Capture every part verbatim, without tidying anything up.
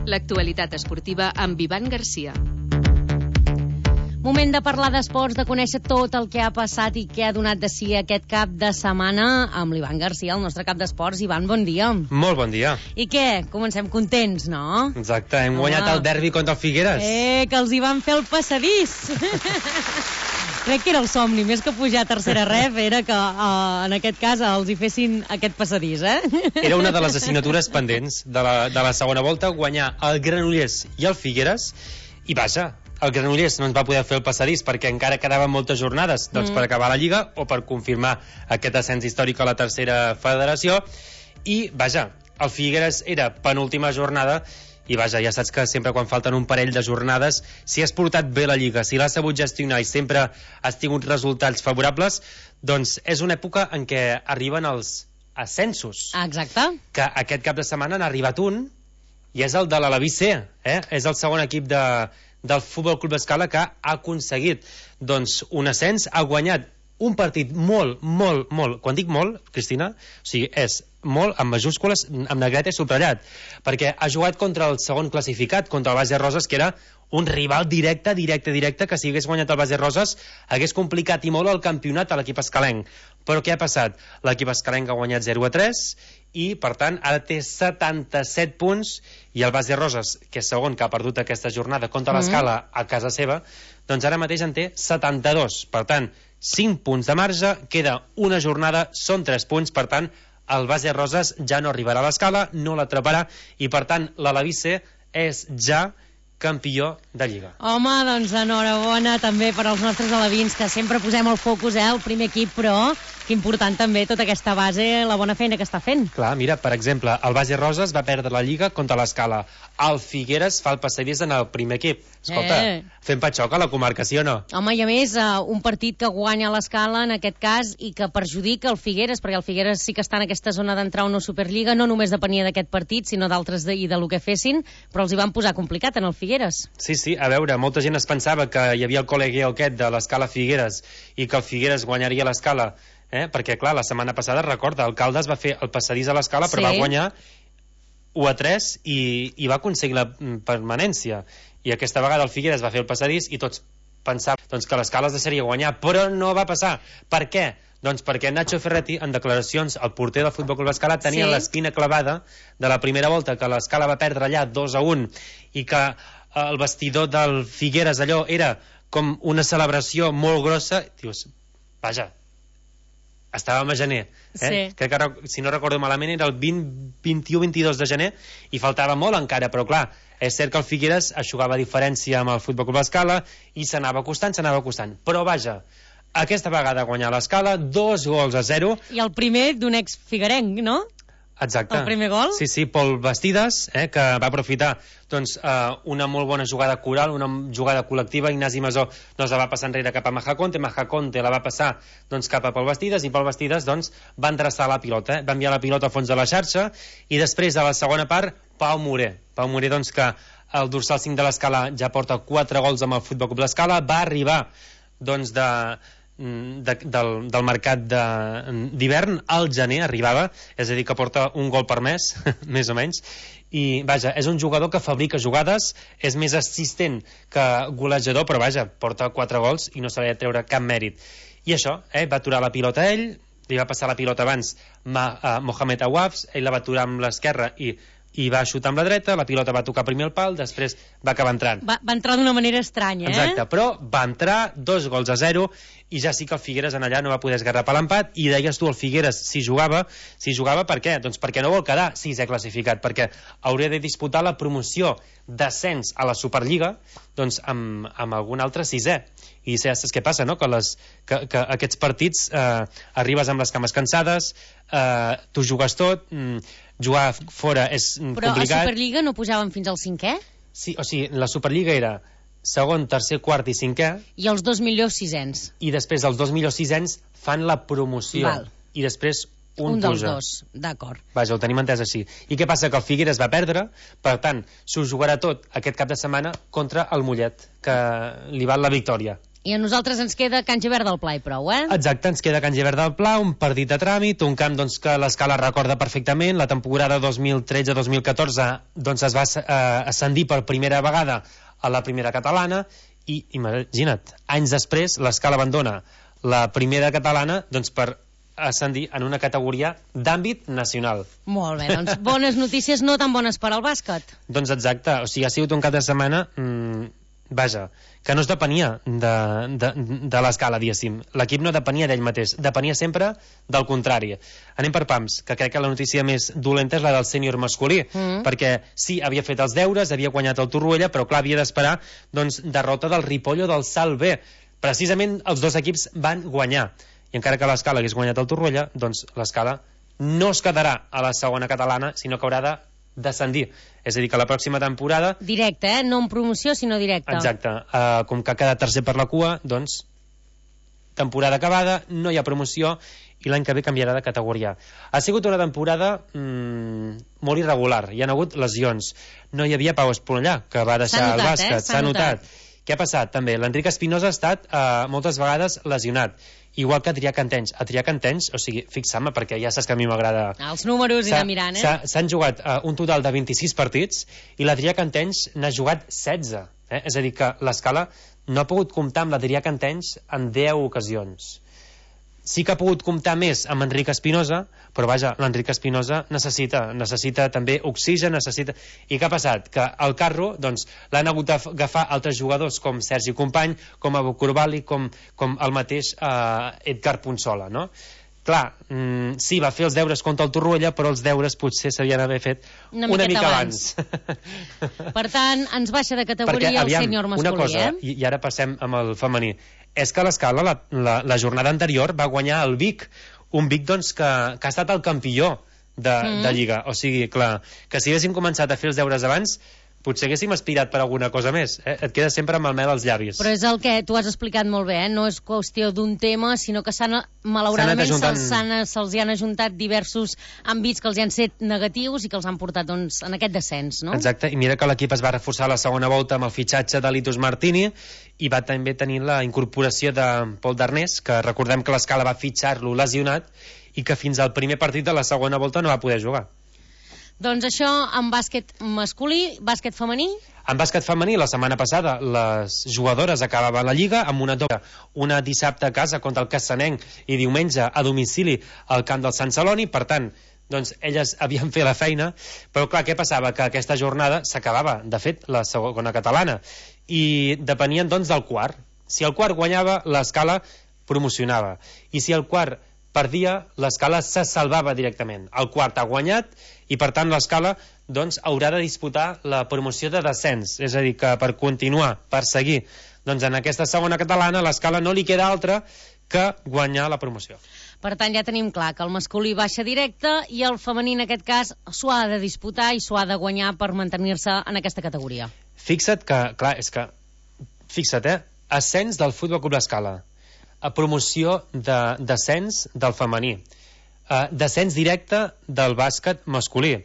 L'actualitat esportiva amb Ivan Garcia. Moment de parlar d'esports, de conèixer tot el que ha passat i què ha donat de si aquest cap de setmana amb l'Ivan Garcia, el nostre cap d'esports. Ivan, bon dia. Molt bon dia. I què? Comencem contents, no? Exacte, hem Home. guanyat el derbi contra el Figueres. Eh, que els hi van fer el passadís. Crec que era el somni, més que pujar a tercera ref, era que uh, en aquest cas els hi fessin aquest passadís, eh? Era una de les assignatures pendents de la, de la segona volta, guanyar el Granollers i el Figueres, i vaja, el Granollers no ens va poder fer el passadís perquè encara quedaven moltes jornades doncs, mm. per acabar la Lliga o per confirmar aquest ascens històric a la tercera federació, i vaja, el Figueres era penúltima jornada. I vaja, ja saps que sempre quan falten un parell de jornades, si has portat bé la Lliga, si l'has sabut gestionar i sempre has tingut resultats favorables, doncs és una època en què arriben els ascensos. Exacte. Que aquest cap de setmana n'ha arribat un, i és el de l'Alaví C, eh? És el segon equip de, del Futbol Club Escala que ha aconseguit doncs, un ascens, ha guanyat un partit molt, molt, molt, quan dic molt, Cristina, o sigui, és molt, amb majúscules, amb negreta i subratllat, perquè ha jugat contra el segon classificat, contra el Base Roses, que era un rival directe, directe, directe, que si hagués guanyat el Base Roses hagués complicat i molt el campionat a l'equip escalenc. Però què ha passat? L'equip escalenc ha guanyat zero a tres i, per tant, ara té setanta-set punts, i el Base Roses, que és segon, que ha perdut aquesta jornada contra mm-hmm. l'Escala a casa seva, doncs ara mateix en té setanta-dos. Per tant, cinc punts de marge, queda una jornada, són tres punts, per tant, el Base Roses ja no arribarà a l'Escala, no l'atraparà, i per tant l'Alaví C és ja campió de Lliga. Home, doncs enhorabona també per als nostres alevins, que sempre posem el focus, eh, el primer equip, però que important també tota aquesta base, la bona feina que està fent. Clar, mira, per exemple, el Base Roses va perdre la Lliga contra l'Escala. El Figueres fa el passadís en el primer equip. Escolta, eh. fem patxoc a la comarca, sí o no? Home, i a més, uh, un partit que guanya l'Escala, en aquest cas, i que perjudica el Figueres, perquè el Figueres sí que està en aquesta zona d'entrar a una Superliga, no només depenia d'aquest partit, sinó d'altres de, i de lo que fessin, però els hi van posar complicat en el Figueres. Sí, sí, a veure, molta gent es pensava que hi havia el col·legueu aquest de l'Escala Figueres i que el Figueres guanyaria l'Escala, eh? Perquè, clar, la setmana passada, recorda, el Caldes va fer el passadís a l'Escala, però sí. va guanyar u a tres i, i va aconseguir la permanència. I aquesta vegada el Figueres va fer el passadís i tots pensaven doncs, que l'Escala es deixaria guanyar, però no va passar. Per què? Doncs perquè Nacho Ferretti, en declaracions, el porter del Futbol Club Escala, tenia sí. l'espina clavada de la primera volta, que l'Escala va perdre allà dos a un, i que el vestidor del Figueres allò era com una celebració molt grossa. Dius, vaja, estàvem a gener, eh? Sí. Crec que, si no recordo malament, era el vint, vint-i-u vint-i-dos de gener, i faltava molt encara, però clar, és cert que el Figueres aixugava diferència amb el Futbol Club Escala i s'anava acostant, s'anava acostant. Però vaja, aquesta vegada guanyar l'Escala, dos gols a zero. I el primer d'un ex-figuerenc, no? Exacte. El primer gol? Sí, sí, Pol Bastides, eh, que va aprofitar doncs, eh, una molt bona jugada coral, una jugada col·lectiva. Ignasi Masó doncs, la va passar enrere cap a Majaconte, Majaconte la va passar doncs, cap a Pol Bastides, i Pol Bastides doncs, va endreçar la pilota, eh, va enviar la pilota al fons de la xarxa, i després, a la segona part, Pau Morer. Pau Morer, doncs, que el dorsal cinc de l'Escala ja porta quatre gols amb el Futbol Club l'Escala, va arribar doncs, de... De, del, del mercat d'hivern al gener arribava, és a dir que porta un gol per mes més o menys, i vaja, és un jugador que fabrica jugades, és més assistent que golejador, però vaja, porta quatre gols i no se li ha de treure cap mèrit. I això, eh, va aturar la pilota a ell, li va passar la pilota abans Ma, uh, Mohamed Awafs, ell la va aturar amb l'esquerra i i va xutar amb la dreta, la pilota va tocar primer el pal, després va acabar entrant. Va, va entrar d'una manera estranya, eh? Exacte, però va entrar, dos gols a zero, i ja sí que el Figueres en allà no va poder esgarrapar l'empat, i deies tu, el Figueres, si jugava, si jugava per què? Doncs perquè no vol quedar sisè classificat, perquè hauria de disputar la promoció d'ascens a la Superliga, doncs amb, amb algun altre sisè. I ja saps què passa, no? Que, les, que, que aquests partits eh, arribes amb les cames cansades, eh, tu jugues tot, mm, jugar fora és Però complicat. Però a Superliga no pujaven fins al cinquè? Sí, o sigui, la Superliga era segon, tercer, quart i cinquè. I els dos millors sisens. I després els dos millors sisens fan la promoció. Val. I després un, un dels puja. dos, d'acord. Vaja, ho tenim entès així. I què passa? Que el Figueres va perdre, per tant, s'ho jugarà tot aquest cap de setmana contra el Mollet, que li val la victòria. I a nosaltres ens queda Can Gibert del Pla i prou, eh? Exacte, ens queda Can Gibert del Pla, un partit de tràmit, un camp doncs, que l'Escala recorda perfectament. La temporada dos mil tretze dos mil catorze doncs, es va eh, ascendir per primera vegada a la primera catalana i, imagina't, anys després l'Escala abandona la primera catalana doncs, per ascendir en una categoria d'àmbit nacional. Molt bé, doncs bones notícies, no tan bones per al bàsquet. Doncs exacte, o sigui, ha sigut un cap de setmana... Mmm, vaja, que no es depenia de, de, de l'Escala, diguéssim. L'equip no depenia d'ell mateix, depenia sempre del contrari. Anem per pams, que crec que la notícia més dolenta és la del sènior masculí, mm. perquè sí, havia fet els deures, havia guanyat el Torroella, però clar, havia d'esperar doncs, derrota del Ripoll o del Salt B. Precisament els dos equips van guanyar. I encara que l'Escala hagués guanyat el Torroella, doncs l'Escala no es quedarà a la segona catalana, sinó que haurà de descendir. És a dir, que la pròxima temporada... Directe, eh? No en promoció, sinó directe. Exacte. Uh, com que ha quedat tercer per la cua, doncs, temporada acabada, no hi ha promoció i l'any que ve canviarà de categoria. Ha sigut una temporada mmm, molt irregular. Hi ha hagut lesions. No hi havia Pau Esponellà, que va deixar notat, el bàsquet. Eh? S'ha notat. notat. Què ha passat, també? L'Enric Espinosa ha estat uh, moltes vegades lesionat. Igual que Adrià Cantenys. Adrià Cantenys, o sigui, fixa'm, perquè ja saps que a mi m'agrada... Els números i anar mirant, eh? S'han jugat uh, un total de vint-i-sis partits i l'Adrià Cantenys n'ha jugat setze. Eh? És a dir, que l'Escala no ha pogut comptar amb l'Adrià Cantenys en deu ocasions. Sí que ha pogut comptar més amb Enric Espinosa, però vaja, l'Enric Espinosa necessita, necessita també oxigen, necessita... I què ha passat? Que el carro, doncs, l'han hagut d'agafar altres jugadors com Sergi Company, com Abu Kurbali, com, com el mateix eh, Edgar Punsola, no? Clar, mm, sí, va fer els deures contra el Torroella, però els deures potser s'havien d'haver fet una, una mica abans. abans. Per tant, ens baixa de categoria Perquè, aviam, el sènior masculí, una cosa, eh? I, i ara passem amb el femení. És que l'Escala, la, la, la jornada anterior, va guanyar el Vic, un Vic doncs, que, que ha estat el campió de, mm. de Lliga. O sigui, clar, que si haguéssim començat a fer els deures abans, potser haguéssim aspirat per alguna cosa més. Eh? Et queda sempre amb el mel als llavis. Però és el que tu has explicat molt bé, eh? No és qüestió d'un tema, sinó que s'han, malauradament se'ls se hi han ajuntat diversos àmbits que els hi han set negatius i que els han portat doncs, en aquest descens, no? Exacte, i mira que l'equip es va reforçar a la segona volta amb el fitxatge de Litus Martini i va també tenir la incorporació de Pol Darnés, que recordem que l'Escala va fitxar-lo lesionat i que fins al primer partit de la segona volta no va poder jugar. Doncs això en bàsquet masculí, bàsquet femení? En bàsquet femení, la setmana passada, les jugadores acabaven la Lliga amb una doble, una dissabte a casa contra el Cassanenc i diumenge a domicili al camp del Sant Celoni, per tant, doncs elles havien fet la feina, però clar, què passava? Que aquesta jornada s'acabava, de fet, la segona catalana, i depenien doncs del quart. Si el quart guanyava, l'Escala promocionava, i si el quart perdia, l'Escala se salvava directament. El quart ha guanyat i per tant l'Escala doncs, haurà de disputar la promoció de descens, és a dir, que per continuar, per seguir doncs, en aquesta segona catalana, l'Escala no li queda altra que guanyar la promoció. Per tant, ja tenim clar que el masculí baixa directe i el femení, en aquest cas, s'ho ha de disputar i s'ho ha de guanyar per mantenir-se en aquesta categoria. Fixa't que, clar, és que fixa't, eh? Ascens del Futbol Club l'Escala, a promoció de descens del femení, uh, descens directe del bàsquet masculí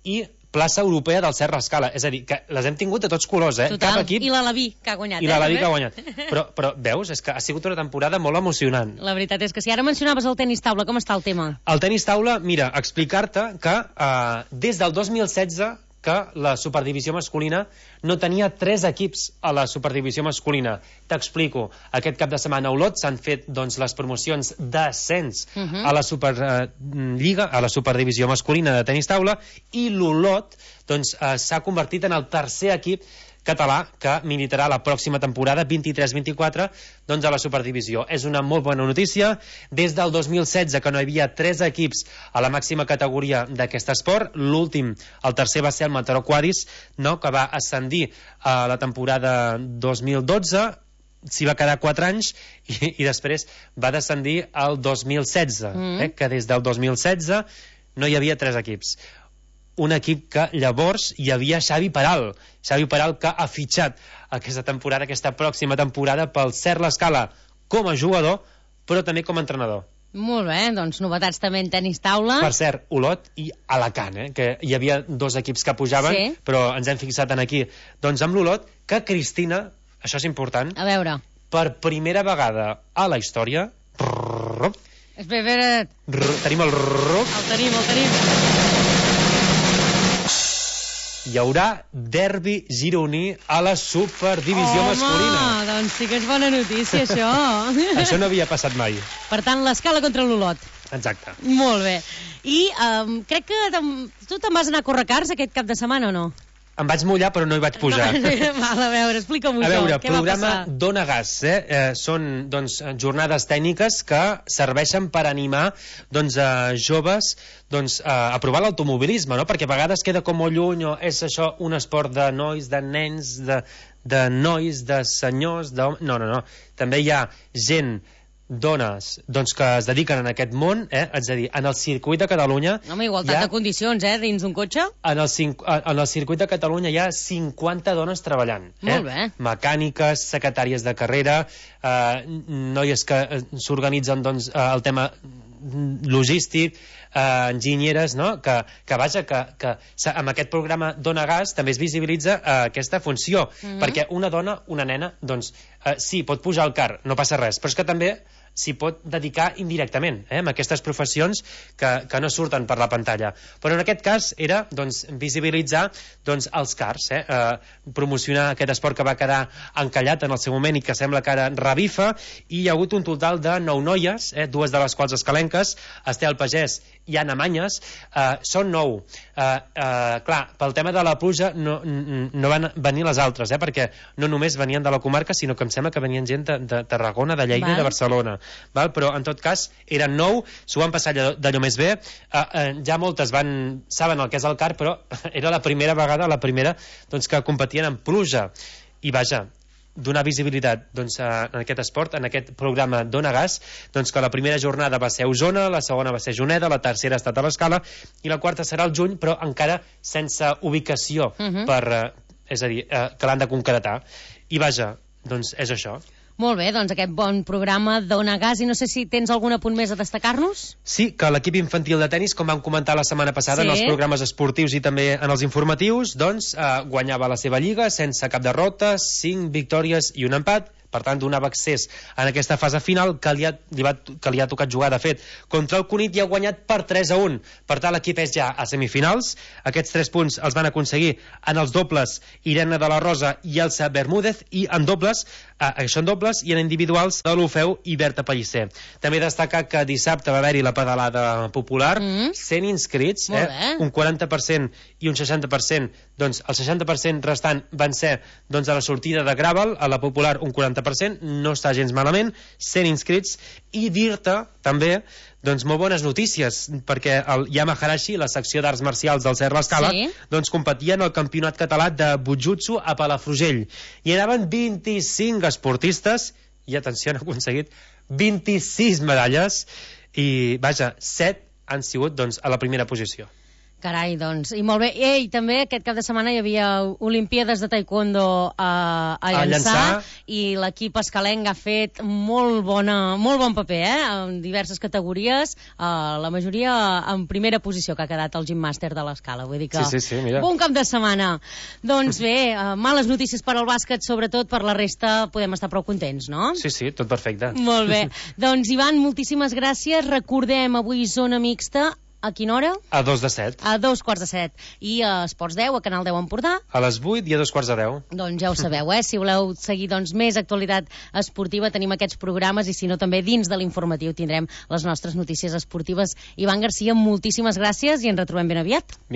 i plaça europea del Serra Escala. És a dir, que les hem tingut de tots colors, eh? Total, Cap equip... i l'Alaví, que ha guanyat. I l'Alaví, eh? que ha guanyat. Però, però veus, és que ha sigut una temporada molt emocionant. La veritat és que si ara mencionaves el tenis taula, com està el tema? El tenis taula, mira, explicar-te que uh, des del dos mil setze que la superdivisió masculina no tenia tres equips a la superdivisió masculina. T'explico. Aquest cap de setmana a Olot s'han fet doncs, les promocions d'ascens uh -huh. a la Superliga, uh, a la superdivisió masculina de tenis taula, i l'Olot doncs, uh, s'ha convertit en el tercer equip català que militarà la pròxima temporada vint-i-tres vint-i-quatre doncs a la superdivisió. És una molt bona notícia. Des del dos mil setze que no hi havia tres equips a la màxima categoria d'aquest esport, l'últim, el tercer va ser el Mataró Quadis, no? Que va ascendir a la temporada dos mil dotze, s'hi va quedar quatre anys i, i després va descendir al dos mil setze, mm. eh? Que des del dos mil setze no hi havia tres equips. Un equip que llavors hi havia Xavi Peral, Xavi Peral que ha fitxat aquesta temporada, aquesta pròxima temporada pel Cert l'Escala com a jugador, però també com a entrenador. Molt bé, doncs novetats també en tenis taula. Per cert, Olot i Alacant, eh, que hi havia dos equips que pujaven, sí. Però ens hem fixat en aquí. Doncs amb l'Olot, que Cristina, això és important, a veure, per primera vegada a la història... Espera, espera... Tenim el ruc. El tenim, el tenim. Hi haurà derbi gironí a la superdivisió Home, masculina. Home, doncs sí que és bona notícia, això. Això no havia passat mai. Per tant, l'Escala contra l'Olot. Exacte. Molt bé. I um, crec que tu te'n vas anar a córrer cars aquest cap de setmana o no? Em vaig mullar, però no hi vaig pujar. No, val, a veure, explica'm-ho això. A veure, què programa va passar? Dona Gas. Eh? Eh, són doncs, jornades tècniques que serveixen per animar doncs, a joves doncs, a provar l'automobilisme, no? Perquè a vegades queda com molt lluny, o és això un esport de nois, de nens, de, de nois, de senyors... De... No, no, no. També hi ha gent dones doncs, que es dediquen en aquest món, eh? És a dir, en el circuit de Catalunya... Home, igualtat ha... de condicions, eh, dins d'un cotxe. En el, en el circuit de Catalunya hi ha cinquanta dones treballant. Eh? Molt bé. Mecàniques, secretàries de carrera, eh, noies que s'organitzen doncs, el tema logístic, eh, enginyeres, no? que, que vaja, que, que amb aquest programa Dona Gas també es visibilitza eh, aquesta funció, mm-hmm. perquè una dona, una nena, doncs eh, sí, pot pujar al car, no passa res, però és que també s'hi pot dedicar indirectament, eh, amb aquestes professions que, que no surten per la pantalla. Però en aquest cas era doncs, visibilitzar doncs, els cars, eh, eh, promocionar aquest esport que va quedar encallat en el seu moment i que sembla que ara revifa, i hi ha hagut un total de nou noies, eh, dues de les quals escalenques, Estel Pagès i Anna Manyes, eh, són nou. Eh, eh, clar, pel tema de la pluja no, no van venir les altres, eh, perquè no només venien de la comarca, sinó que em sembla que venien gent de, de Tarragona, de Lleida i de Barcelona. Val? Però en tot cas eren nou, s'ho van passar d'allò més bé, eh, eh, ja moltes van saben el que és el car, però era la primera vegada, la primera doncs, que competien en pluja, i vaja, donar visibilitat doncs, en aquest esport, en aquest programa Dona Gas, doncs que la primera jornada va ser a Osona, la segona va ser a Juneda, la tercera ha estat a l'Escala i la quarta serà al juny, però encara sense ubicació, uh-huh. per, eh, és a dir, eh, que l'han de concretar, i vaja, doncs és això. Molt bé, doncs aquest bon programa Dona Gas, i no sé si tens algun apunt més a destacar-nos? Sí, que l'equip infantil de tennis, com vam comentar la setmana passada sí. en els programes esportius i també en els informatius, doncs eh, guanyava la seva lliga sense cap derrota, cinc victòries i un empat. Per tant, donava accés en aquesta fase final que li ha, li va, que li ha tocat jugar, de fet, contra el Cunit, i ha guanyat per tres a un. Per tant, l'equip és ja a semifinals. Aquests tres punts els van aconseguir en els dobles Irene de la Rosa i Elsa Bermúdez, i en dobles, eh, això en dobles, i en individuals de l'Ofeu i Berta Pellicer. També destacar que dissabte va haver-hi la pedalada popular, mm. cent inscrits, eh, un quaranta per cent i un seixanta per cent, doncs el seixanta per cent restant van ser doncs, a la sortida de Gravel, a la popular un quaranta per cent, no està gens malament, cent inscrits, i dir-te també doncs molt bones notícies, perquè el Yamaharashi, la secció d'arts marcials del Cerro Escala, sí. doncs competia en el campionat català de Bujutsu a Palafrugell, i anaven vint-i-cinc esportistes, i atenció, han aconseguit vint-i-sis medalles, i vaja, set han sigut doncs, a la primera posició. Carai, doncs, i molt bé. I també aquest cap de setmana hi havia Olimpíades de Taekwondo a, a, llançar, a llançar, i l'equip escalenc ha fet molt, bona, molt bon paper, eh? En diverses categories, eh, la majoria en primera posició, que ha quedat el gimnàster de l'Escala. Vull dir que sí, sí, sí, mira. Bon cap de setmana. Doncs bé, eh, males notícies per al bàsquet, sobretot per la resta podem estar prou contents, no? Sí, sí, tot perfecte. Molt bé. Doncs, Ivan, moltíssimes gràcies. Recordem avui zona mixta. A quina hora? A dos de set. A dos quarts de set. I a Esports deu, a Canal deu Empordà? A les vuit i a dos quarts de deu. Doncs ja ho sabeu, eh? Si voleu seguir doncs, més actualitat esportiva, tenim aquests programes, i si no també dins de l'informatiu tindrem les nostres notícies esportives. Ivan Garcia, moltíssimes gràcies i ens retrobem ben aviat. Vinga.